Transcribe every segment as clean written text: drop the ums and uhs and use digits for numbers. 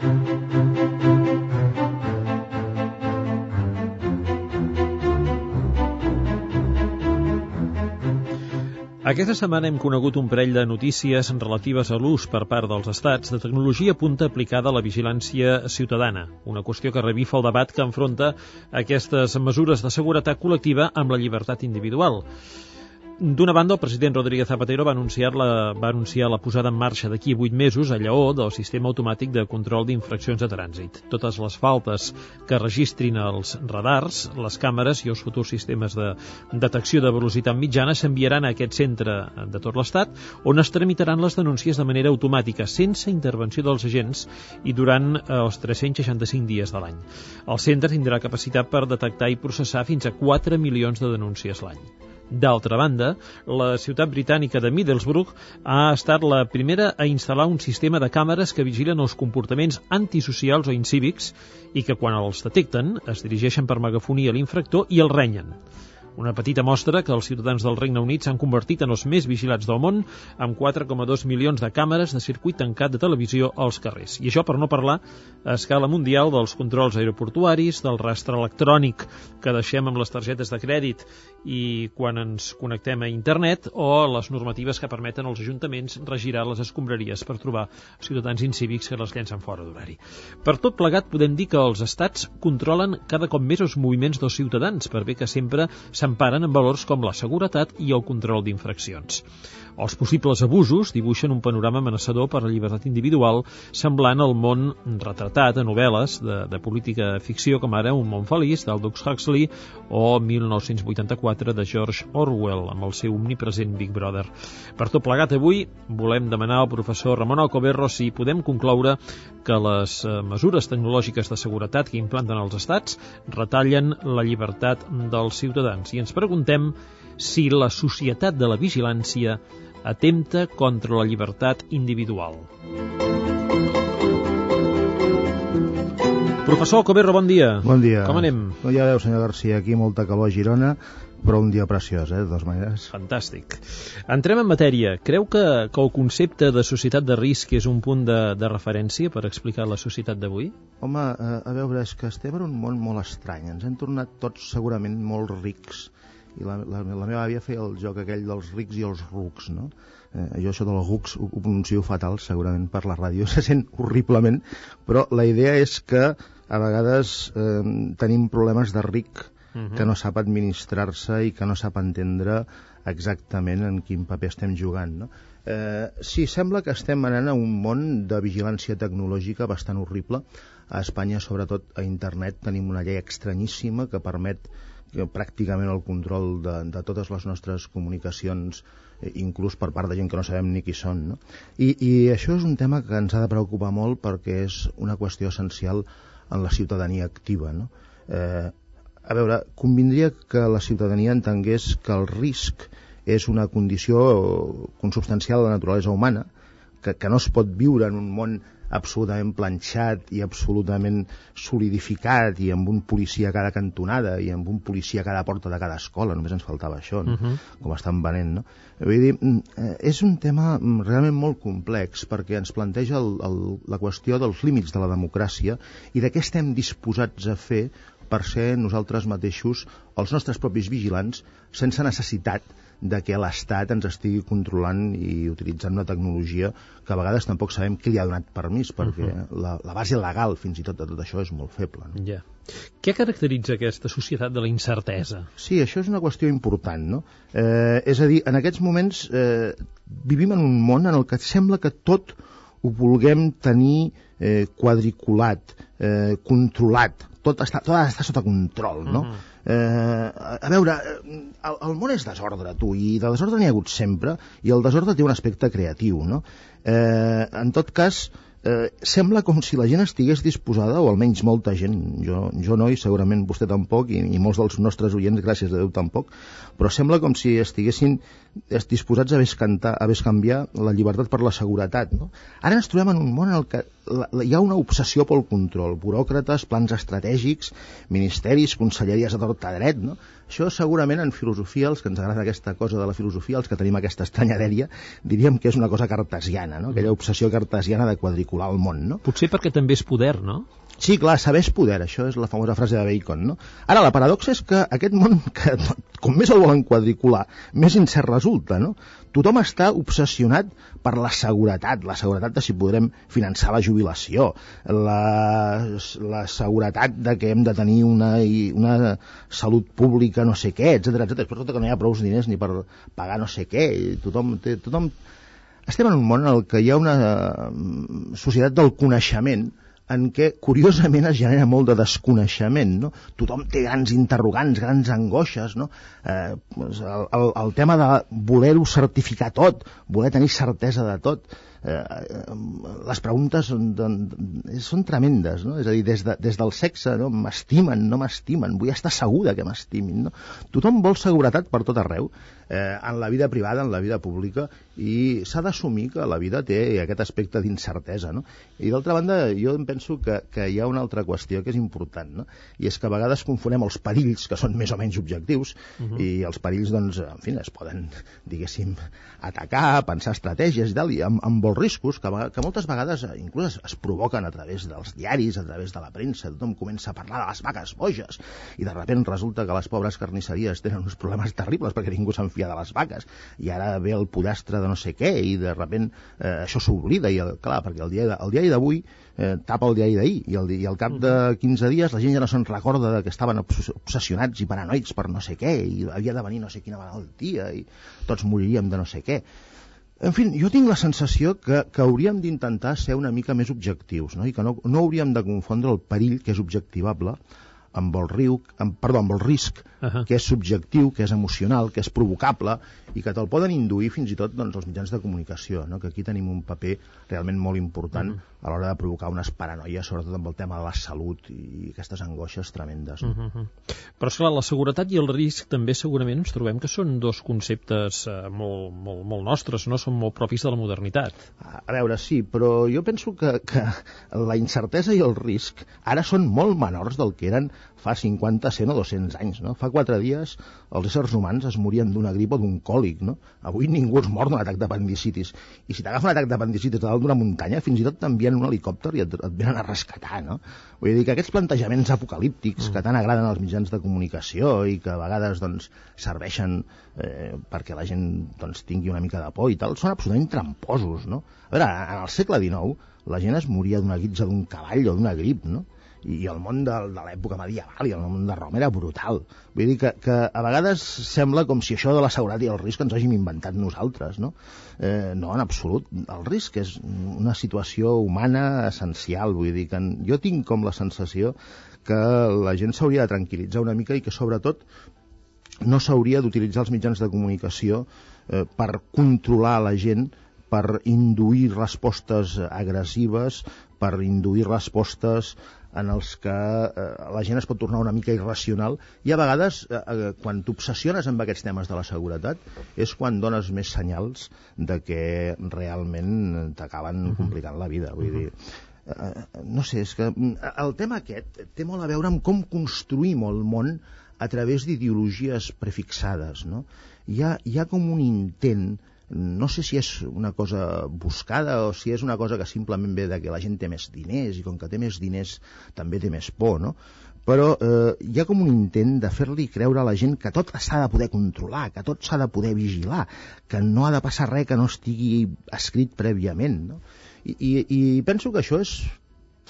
Aquesta setmana hem conegut un parell de notícies relatives a l'ús per part dels estats de tecnologia punta aplicada a la vigilància ciutadana, una qüestió que revifa el debat que enfronta aquestes mesures de seguretat col·lectiva amb la llibertat individual. D'una banda, el president Rodríguez Zapatero va anunciar la posada en marxa d'aquí 8 mesos a Lleó del sistema automàtic de control d'infraccions de trànsit. Totes les faltes que registrin els radars, les càmeres i els futurs sistemes de detecció de velocitat mitjana s'enviaran a aquest centre de tot l'Estat, on es tramitaran les denúncies de manera automàtica, sense intervenció dels agents i durant els 365 dies de l'any. El centre tindrà capacitat per detectar i processar fins a 4 milions de denúncies l'any. D'altra banda, la ciutat britànica de Middlesbrough ha estat la primera a instal·lar un sistema de càmeres que vigilen els comportaments antisocials o incívics i que, quan els detecten, es dirigeixen per megafonia a l'infractor i el renyen. Una petita mostra que els ciutadans del Regne Unit s'han convertit en els més vigilats del món, amb 4,2 milions de càmeres de circuit tancat de televisió als carrers. I això per no parlar a escala mundial dels controls aeroportuaris, del rastre electrònic que deixem amb les targetes de crèdit i quan ens connectem a internet, o les normatives que permeten als ajuntaments regirar les escombraries per trobar ciutadans incívics que les llencen fora d'horari. Per tot plegat, podem dir que els estats controlen cada cop més els moviments dels ciutadans, per bé que sempre s'emparen en valors com la seguretat i el control d'infraccions. Els possibles abusos dibuixen un panorama amenaçador per a la llibertat individual, semblant al món retratat a novel·les de política ficció, com ara Un món feliç, d'Aldous Huxley, o 1984, de George Orwell, amb el seu omnipresent Big Brother. Per tot plegat, avui volem demanar al professor Ramon Alcoberro si podem concloure que les mesures tecnològiques de seguretat que implanten els estats retallen la llibertat dels ciutadans. I ens preguntem si la societat de la vigilància atempta contra la llibertat individual. Professor Alcoberro, bon dia. Bon dia. Com anem? Ja veu, senyor Garcia, aquí molta calor a Girona, però un dia preciós, de totes maneres. Fantàstic. Entrem en matèria. Creu que el concepte de societat de risc és un punt de referència per explicar la societat d'avui? Home, a veure, és que estem en un món molt estrany. Ens hem tornat tots segurament molt rics. I la meva àvia feia el joc aquell dels rics i els rucs, no? Jo això dels rucs ho pronuncio fatal, segurament per la ràdio, se sent horriblement, però la idea és que a vegades tenim problemes de ric que no sap administrar-se i que no sap entendre exactament en quin paper estem jugant, no? Sí, sembla que estem anant a un món de vigilància tecnològica bastant horrible. A Espanya, sobretot a internet, tenim una llei estranyíssima que permet pràcticament el control de totes les nostres comunicacions, inclús per part de gent que no sabem ni qui són, no? I això és un tema que ens ha de preocupar molt perquè és una qüestió essencial en la ciutadania activa, no? A veure, convindria que la ciutadania entengués que el risc és una condició consubstancial de la naturalesa humana, que no es pot viure en un món absolutament planxat i absolutament solidificat i amb un policia a cada cantonada i amb un policia a cada porta de cada escola, només ens faltava això, no? Com estan venent, no? Vull dir, és un tema realment molt complex perquè ens planteja la qüestió dels límits de la democràcia i de què estem disposats a fer per ser nosaltres mateixos els nostres propis vigilants sense necessitat de que l'Estat ens estigui controlant i utilitzant una tecnologia que a vegades tampoc sabem qui li ha donat permís, perquè la base legal fins i tot de tot això és molt feble, no? Ja. Què caracteritza aquesta societat de la incertesa? Sí, això és una qüestió important, no? És a dir, en aquests moments vivim en un món en el que sembla que tot ho vulguem tenir quadriculat, controlat, tot està sota control, no? A veure, el món és desordre, tu, i de desordre n'hi ha hagut sempre, i el desordre té un aspecte creatiu, no? En tot cas, sembla com si la gent estigués disposada, o almenys molta gent, jo no, i segurament vostè tampoc, i molts dels nostres oients, gràcies a Déu, tampoc, però sembla com si estiguessin disposats a bescanviar la llibertat per la seguretat, no? Ara ens trobem en un món en el que hi ha una obsessió pel control, buròcrates, plans estratègics, ministeris, conselleries a tort a dret, no? Això segurament en filosofia, els que ens agrada aquesta cosa de la filosofia, els que tenim aquesta estranya dèria, diríem que és una cosa cartesiana, no? Aquella obsessió cartesiana de quadricular quadricular el món, no? Potser perquè també és poder, no? Sí, clar, saber és poder, això és la famosa frase de Bacon, no? Ara, la paradoxa és que aquest món, que com més el volen quadricular, més incert resulta, no? Tothom està obsessionat per la seguretat de si podrem finançar la jubilació, la seguretat de que hem de tenir una salut pública no sé què, etcètera, però que no hi ha prou diners ni per pagar no sé què, i tothom... Estem en un món en què hi ha una societat del coneixement en què, curiosament, es genera molt de desconeixement, no? Tothom té grans interrogants, grans angoixes, no? El tema de voler-ho certificar tot, voler tenir certesa de tot, les preguntes són tremendes, no? És a dir, des del sexe, no? M'estimen, no m'estimen, vull estar segura que m'estimin, no? Tothom vol seguretat per tot arreu, en la vida privada, en la vida pública, i s'ha d'assumir que la vida té aquest aspecte d'incertesa, no? I d'altra banda, jo em penso que hi ha una altra qüestió que és important, no? I és que a vegades confonem els perills, que són més o menys objectius, i els perills, doncs, en fi, es poden, diguéssim, atacar, pensar estratègies i tal, i amb molts riscos, que moltes vegades inclús es provoquen a través dels diaris, a través de la premsa, tothom comença a parlar de les vaques boges, i de sobte resulta que les pobres carnisseries tenen uns problemes terribles perquè ningú se'n fia de les vaques, i ara ve el pollastre de no sé què, i de sobte això s'oblida, i clar, perquè el diari d'avui tapa el diari d'ahir, i al cap de 15 dies la gent ja no se'n recorda que estaven obsessionats i paranoics per no sé què, i havia de venir no sé quina malaltia, i tots moriríem de no sé què. En fi, jo tinc la sensació que hauríem d'intentar ser una mica més objectius, no? I que no hauríem de confondre el perill, que és objectivable, amb el risc, que és subjectiu, que és emocional, que és provocable, i que te'l poden induir fins i tot, doncs, els mitjans de comunicació, no? Que aquí tenim un paper realment molt important a l'hora de provocar unes paranoies, sobretot amb el tema de la salut i aquestes angoixes tremendes. No? Però, esclar, la seguretat i el risc també segurament ens trobem que són dos conceptes molt nostres, no? Són molt propis de la modernitat. A veure, sí, però jo penso que la incertesa i el risc ara són molt menors del que eren fa 50, 100 o 200 anys, no? Fa 4 dies els éssers humans es morien d'una grip o d'un còlic, no? Avui ningú es mor d'un atac d'apendicitis. I si t'agafa un atac d'apendicitis a dalt d'una muntanya, fins i tot t'envien un helicòpter i et venen a rescatar, no? Vull dir que aquests plantejaments apocalíptics que tant agraden als mitjans de comunicació i que a vegades doncs, serveixen perquè la gent doncs, tingui una mica de por i tal, són absolutament tramposos, no? A veure, en el segle XIX la gent es moria d'una guitza d'un cavall o d'una grip, no? I el món de l'època medieval i el món de Roma era brutal. Vull dir que a vegades sembla com si això de la seguretat i el risc ens hàgim inventat nosaltres, no? No, en absolut. El risc és una situació humana essencial. Vull dir que jo tinc com la sensació que la gent s'hauria de tranquil·litzar una mica i que sobretot no s'hauria d'utilitzar els mitjans de comunicació per controlar la gent, per induir respostes agressives, per induir respostes en els que la gent es pot tornar una mica irracional, i a vegades quan t'obsessiones amb aquests temes de la seguretat és quan dones més senyals de que realment t'acaben complicant la vida. Vull dir, no sé, és que el tema aquest té molt a veure amb com construïm el món a través d'ideologies prefixades, no? Hi ha com un intent, no sé si és una cosa buscada o si és una cosa que simplement ve de que la gent té més diners i com que té més diners també té més por, no? Però hi ha com un intent de fer-li creure a la gent que tot s'ha de poder controlar, que tot s'ha de poder vigilar, que no ha de passar res que no estigui escrit prèviament, no? I penso que això és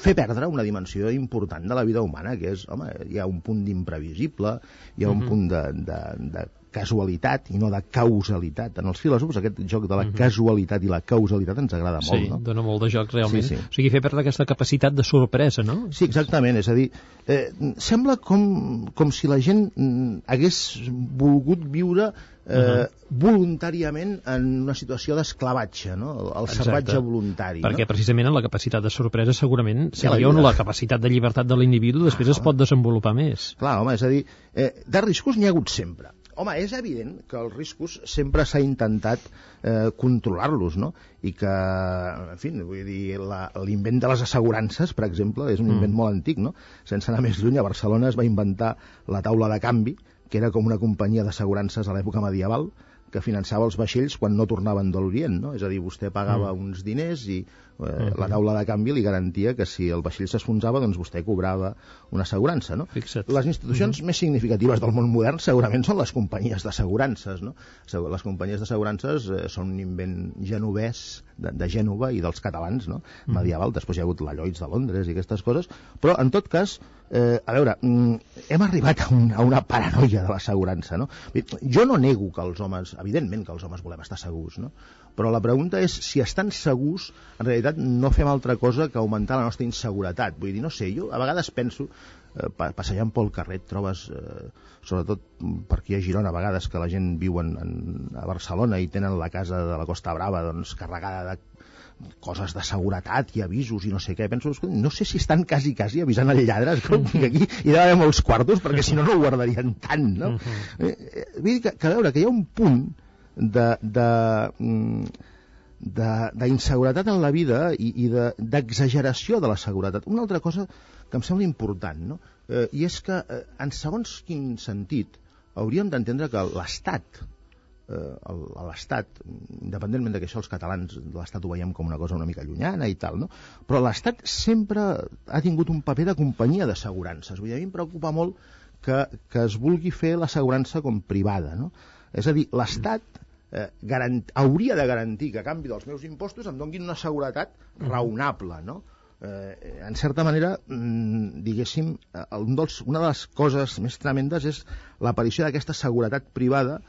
fer perdre una dimensió important de la vida humana, que és, home, hi ha un punt d'imprevisible, hi ha un punt de casualitat i no de causalitat. En els filòsofs aquest joc de la casualitat i la causalitat ens agrada molt, no? Sí, dona molt de joc realment. Sí. O sigui, fer perdre aquesta capacitat de sorpresa, no? Sí, exactament, és a dir, sembla com si la gent hagués volgut viure voluntàriament en una situació d'esclavatge, no? El salvatge voluntari. Perquè precisament en la capacitat de sorpresa segurament seria on la capacitat de llibertat de l'individu després es pot desenvolupar més. Clar, home, és a dir, de riscos n'hi ha hagut sempre. Home, és evident que els riscos sempre s'ha intentat controlar-los, no? I que, en fi, vull dir, l'invent de les assegurances, per exemple, és un invent molt antic, no? Sense anar més lluny, a Barcelona es va inventar la taula de canvi, que era com una companyia d'assegurances a l'època medieval, que finançava els vaixells quan no tornaven de l'Orient, no? És a dir, vostè pagava uns diners i La taula de canvi li garantia que si el vaixell s'esfonsava, doncs vostè cobrava una assegurança, no? Fixa't. Les institucions més significatives del món modern segurament són les companyies d'assegurances, no? Les companyies d'assegurances són un invent genovès de Gènova i dels catalans, no? Medieval. Després hi ha hagut la Lloyds de Londres i aquestes coses, però en tot cas, a veure, hem arribat a una paranoia de l'assegurança, no? Jo no nego que els homes, evidentment que els homes volem estar segurs, no? Però la pregunta és si estan segurs, en realitat no fem altra cosa que augmentar la nostra inseguretat. Vull dir, no sé, jo a vegades penso, passejant pel carrer trobes, sobretot per aquí a Girona, a vegades que la gent viu a Barcelona i tenen la casa de la Costa Brava doncs, carregada de coses de seguretat i avisos i no sé què. Penso, no sé si estan quasi avisant el lladre, escolti, que aquí hi ha d'haver molts quartos perquè si no no ho guardarien tant, no? Vull dir que a veure, que hi ha un punt d'inseguretat en la vida i d'exageració de la seguretat. Una altra cosa que em sembla important, no? I és que en segons quin sentit hauríem d'entendre que l'Estat, independentment de que això els catalans l'Estat ho veiem com una cosa una mica llunyana i tal, no? Però l'Estat sempre ha tingut un paper de companyia d'assegurances. Vull dir, a mi em preocupa molt que es vulgui fer l'assegurança com privada, no? És a dir, l'Estat hauria de garantir que a canvi dels meus impostos em donguin una seguretat raonable, no? En certa manera, diguéssim, una de les coses més tremendes és l'aparició d'aquesta seguretat privada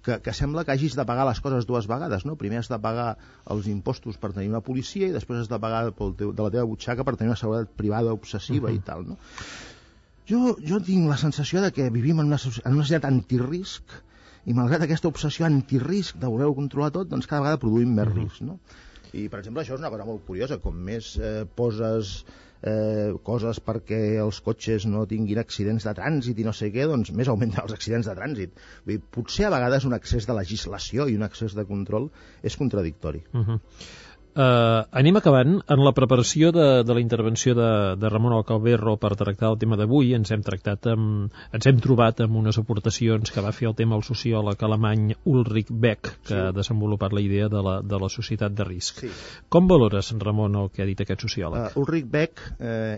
que sembla que hagis de pagar les coses dues vegades, no? Primer has de pagar els impostos per tenir una policia i després has de pagar de la teva butxaca per tenir una seguretat privada obsessiva i tal, no? Jo tinc la sensació de que vivim en una societat antirisc i malgrat aquesta obsessió antirisc de voler-ho controlar tot, doncs cada vegada produïm més risc, no? I, per exemple, això és una cosa molt curiosa, com més poses coses perquè els cotxes no tinguin accidents de trànsit i no sé què, doncs més augmenten els accidents de trànsit. Vull dir, potser a vegades un excés de legislació i un excés de control és contradictori. Anem acabant. En la preparació de la intervenció de Ramon Alcalberro per tractar el tema d'avui ens hem trobat amb unes aportacions que va fer el tema el sociòleg alemany Ulrich Beck, que ha desenvolupat la idea de la societat de risc. Sí. Com valores, Ramon, el que ha dit aquest sociòleg? Ulrich Beck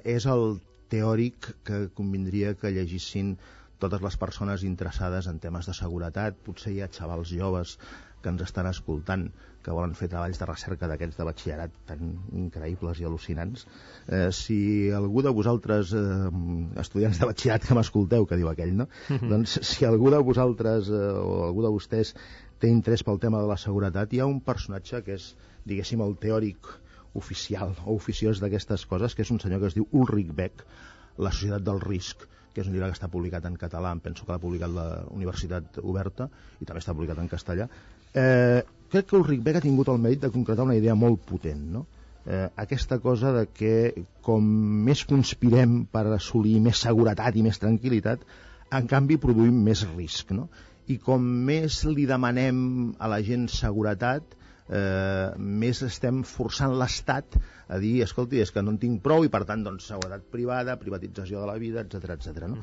és el teòric que convindria que llegissin totes les persones interessades en temes de seguretat. Potser hi ha xavals joves que ens estan escoltant, que volen fer treballs de recerca d'aquests de batxillerat tan increïbles i al·lucinants. Si algú de vosaltres, estudiants de batxillerat que m'escolteu, que diu aquell, no? Doncs si algú de vosaltres o algú de vostès té interès pel tema de la seguretat, hi ha un personatge que és, diguéssim, el teòric oficial o oficiós d'aquestes coses, que és un senyor que es diu Ulrich Beck, La societat del risc, que és un llibre que està publicat en català, em penso que l'ha publicat la Universitat Oberta i també està publicat en castellà. Crec que Ulrich Beck ha tingut el mèrit de concretar una idea molt potent, no? Aquesta cosa de que com més conspirem per assolir més seguretat i més tranquil·litat, en canvi produïm més risc, no? I com més li demanem a la gent seguretat, més estem forçant l'Estat a dir, escolti, és que no en tinc prou i per tant, doncs, seguretat privada, privatització de la vida, etc. No?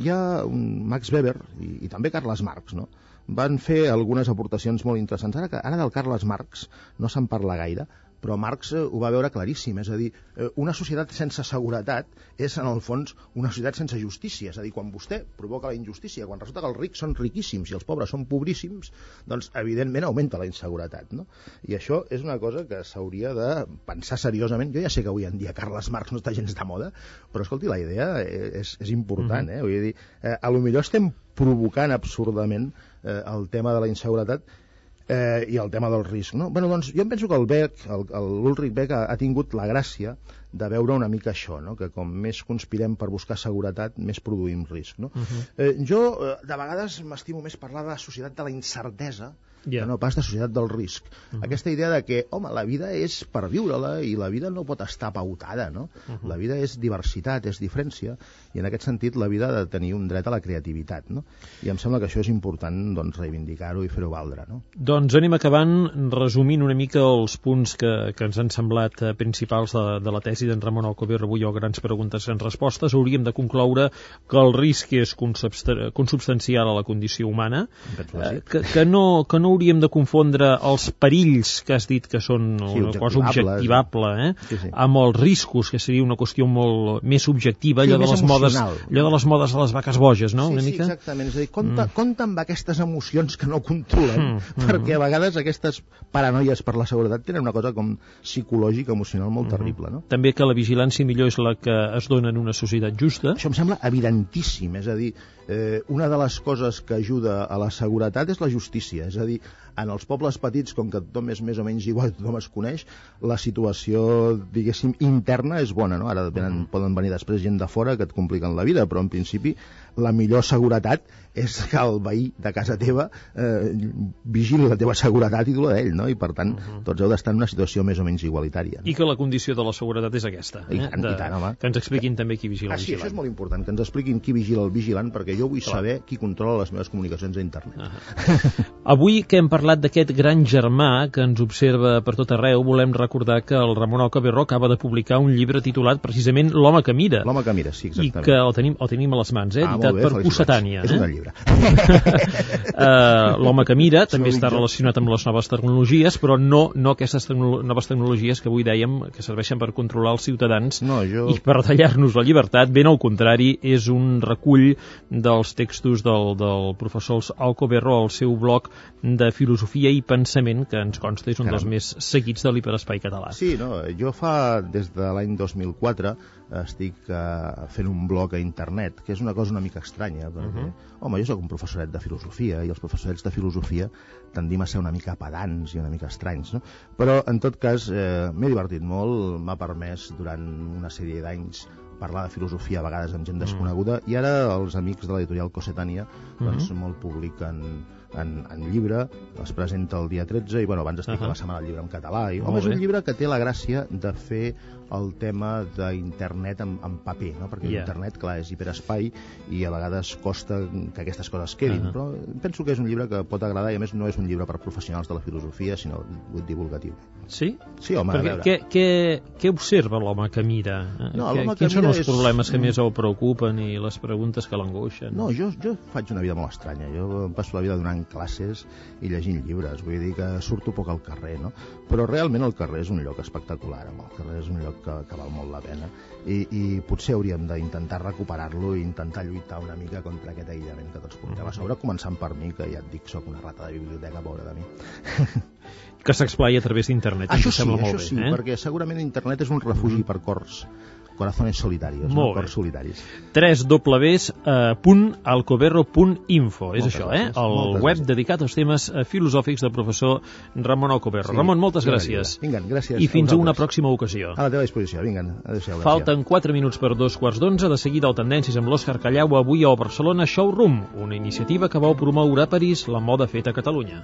Hi ha Max Weber i també Carles Marx, no? Van fer algunes aportacions molt interessants. Ara del Carles Marx no se'n parla gaire, però Marx ho va veure claríssim, és a dir, una societat sense seguretat és, en el fons, una societat sense justícia. És a dir, quan vostè provoca la injustícia, quan resulta que els rics són riquíssims i els pobres són pobríssims, doncs, evidentment, augmenta la inseguretat, no? I això és una cosa que s'hauria de pensar seriosament. Jo ja sé que avui en dia Carles Marx no està gens de moda, però, escolti, la idea és important, eh? Vull dir, a lo millor estem provocant absurdament el tema de la inseguretat i el tema del risc, no? Bueno, doncs jo em penso que l'Ulrich Beck ha tingut la gràcia de veure una mica això, no? Que com més conspirem per buscar seguretat, més produïm risc, no? Jo, de vegades, m'estimo més parlar de la societat de la incertesa que no pas de societat del risc. Aquesta idea de que, home, la vida és per viure-la i la vida no pot estar pautada, no? La vida és diversitat, és diferència, i en aquest sentit la vida ha de tenir un dret a la creativitat, no? I em sembla que això és important, doncs, reivindicar-ho i fer-ho valdre, no? Doncs anem acabant resumint una mica els punts que ens han semblat principals de la tesi d'en Ramon Alcover avui o grans preguntes en respostes. Hauríem de concloure que el risc és consubstancial a la condició humana, que no no hauríem de confondre els perills que has dit que són una cosa objectivable, amb els riscos, que seria una qüestió molt més subjectiva, allò de les modes de les vaques boges, no? Sí, exactament. És a dir, compte amb aquestes emocions que no controlem, perquè a vegades aquestes paranoies per la seguretat tenen una cosa com psicològica, emocional molt terrible, no? També que la vigilància millor és la que es dona en una societat justa. Això em sembla evidentíssim, és a dir, una de les coses que ajuda a la seguretat és la justícia, és a dir, en els pobles petits, com que tothom és més o menys igual, tothom es coneix, la situació, diguéssim, interna és bona, no? Ara poden venir després gent de fora que et compliquen la vida, però en principi la millor seguretat és que el veí de casa teva vigili la teva seguretat i tu la d'ell, no? I per tant, tots heu d'estar en una situació més o menys igualitària. I que la condició de la seguretat és aquesta. I tant, home. Que ens expliquin també qui vigila el vigilant. Sí, això és molt important, que ens expliquin qui vigila el vigilant, perquè jo vull saber qui controla les meves comunicacions a internet. Avui que hem parlat d'aquest gran germà que ens observa per tot arreu, volem recordar que el Ramon Alcoberro acaba de publicar un llibre titulat precisament L'home que mira. L'home que mira, sí, exactament. I que el tenim a les mans, editat per Cossetània. És un llibre. L'home que mira també està relacionat amb les noves tecnologies, però no aquestes noves tecnologies que avui dèiem que serveixen per controlar els ciutadans i per tallar-nos la llibertat. Ben al contrari, és un recull dels textos del professor Alcoberro al seu blog de filosofia i pensament, que ens consta és un dels més seguits de l'hiperespai català. Sí, jo des de l'any 2004 estic fent un blog a internet, que és una cosa una mica estranya, perquè, jo soc un professoret de filosofia, i els professorets de filosofia tendim a ser una mica pedants i una mica estranys, no? Però, en tot cas, m'he divertit molt, m'ha permès durant una sèrie d'anys parlar de filosofia a vegades amb gent desconeguda, i ara els amics de l'editorial Cossetània me'l publiquen en llibre, es presenta el dia 13 i abans estic a la Setmana del Llibre en català és un llibre que té la gràcia de fer el tema d'internet en paper, no? Perquè l'internet, clar, és hiperespai i a vegades costa que aquestes coses quedin, però penso que és un llibre que pot agradar i a més no és un llibre per professionals de la filosofia, sinó divulgatiu. Sí? Sí, home, a veure. Què observa l'home que mira? Quins són els problemes que més el preocupen i les preguntes que l'angoixen? No, jo faig una vida molt estranya. Jo em passo la vida donant classes i llegint llibres, vull dir que surto poc al carrer, no? Però realment el carrer és un lloc espectacular, el carrer és un lloc que val molt la pena i potser hauríem d'intentar recuperar-lo i intentar lluitar una mica contra aquest aïllament que tots portem a sobre, començant per mi, que ja et dic, soc una rata de biblioteca, pobra de mi. Que s'explai a través d'internet. Això sí, perquè segurament internet és un refugi per cors, corazones solitarios, cors solitaris. www.alcoberro.info és això, el web dedicat als temes filosòfics del professor Ramon Alcoberro. Ramon, moltes gràcies. Vinga, gràcies. I fins a una pròxima ocasió. A la teva disposició, vinga. Adéu-siau. Falten 4 minuts per 2:15. De seguida el Tendències amb l'Òscar Callau, avui a Barcelona Showroom, una iniciativa que vol promoure a París la moda feta a Catalunya.